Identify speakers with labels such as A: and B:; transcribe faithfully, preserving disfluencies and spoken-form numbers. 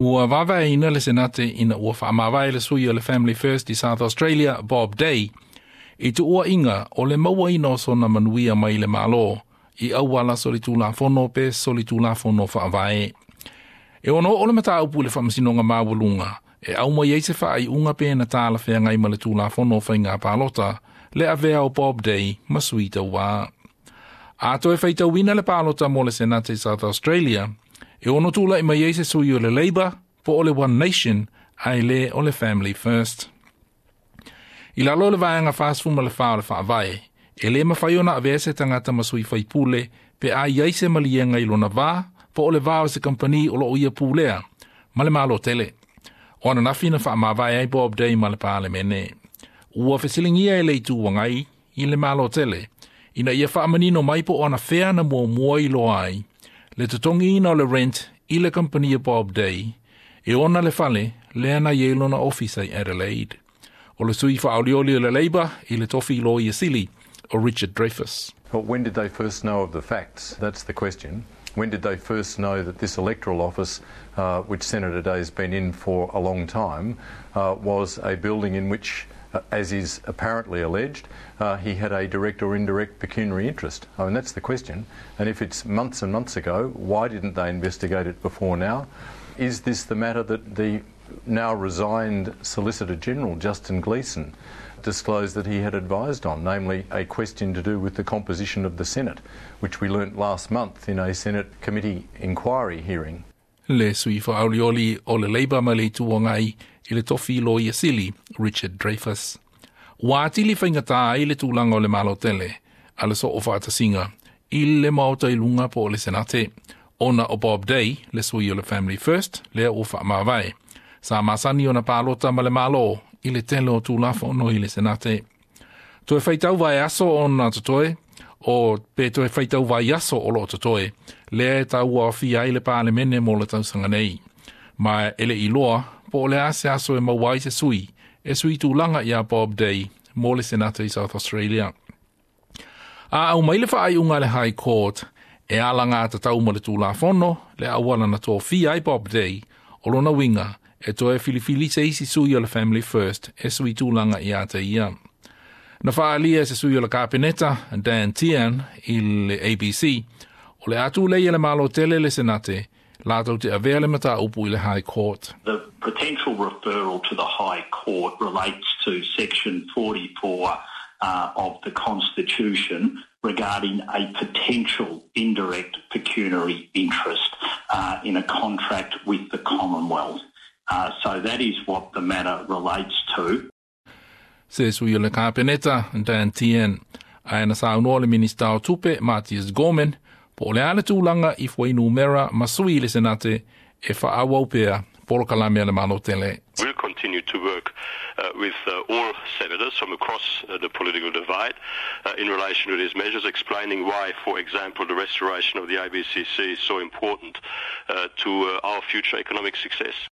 A: Ua vaevaeina le Senate ina ua faamavae le sui o le Family First i South Australia, Bob Day, i tuuaiga o le mauaina o sona manuia mai le Malo i auala solitulafono pe solitulafono faavae. E ono oo le mataupu i le Faamasinoga Maualuga e aumai ai se faaiuga pe na talafeagai ma le Tulafono o Faiga Palota le avea o Bob Day ma sui tauva. A toe faitauina le palota mo le Senate i South Australia, e ono tulai mai ai se sui o le Labour po o le One Nation ae le o le Family First. I lalo o le vaega fasefulu ma le fa o le faavae, e le mafai ona avea se tagata ma sui faipule pe a i ai se maliega i lona va po o le va o se kampani o loo ia pulea ma le Malo tele. O ananafi na faamavae ai Bob Day ma le Palemene. Ua fesiligia e le Itu Agai i le Malo tele, ina ia faamanino mai po o anafea na muamua iloa ai le totogiina o le rent i le kampani a Bob Day e ona le fale lea na i ai lona ofisa i Adelaide. O le sui faaolioli o le Labour i le tofi Loia Sili o Richard Dreyfuss.
B: Well, when did they first know of the facts? That's the question. When did they first know that this electoral office, uh, which Senator Day has been in for a long time, uh, was a building in which, uh, as is apparently alleged, uh, he had a direct or indirect pecuniary interest? I mean, that's the question. And if it's months and months ago, why didn't they investigate it before now? Is this the matter that the now resigned Solicitor General, Justin Gleeson, disclosed that he had advised on, namely a question to do with the composition of the Senate, which we learnt last month in a Senate committee inquiry hearing?
A: Le sui faaolioli o le Labour ma le Itu Agai i le tofi Loia Sili, Richard Dreyfuss. Ua atili faigata ai le tulaga o le Malo tele a le soofaatasiga i le Maota i luga po o le Senate, ona o Bob Day, le sui o le Family First, lea ua faamavae. Sa masani ona palota ma le Malo i le tele o Tulafono i le Senate. Toe faitau vaiaso ona totoe, o pe toe faitau vaiaso o loo totoe, lea e tauaofia ai le Palemene mo le tausaga nei. Ma e le iloa, po o le a se aso e maua ai se sui, e sui tulaga ia Bob Day mo le Senate i South Australia. A aumai le faaiuga a le High Court e alagatatau ma le Tulafono le auala na tofia ai Bob Day, o lona uiga e toe filifili se isi sui o le Family First e sui tulaga ia te ia. Na faaalia e se sui o le Kapeneta, Dan Tehan, i le A B C, o le a tulei le Malo tele le Senate, latou te avea le mataupu i le High Court.
C: The potential referral to the High Court relates to Section forty-four uh, of the Constitution regarding a potential indirect pecuniary interest uh, in a contract with the Commonwealth. Uh, so that is what the matter relates to.
A: Se sui o le Kapeneta, Dan Tehan, ae na saunoa le Minista o Tupe, Mathias Gorman, po o le a le tulaga i fuainumera ma sui i le Senate e faaauau pea polokalame a le Malo tele.
D: We'll continue to work uh, with uh, all senators from across uh, the political divide uh, in relation to these measures, explaining why, for example, the restoration of the A B C C is so important uh, to uh, our future economic success.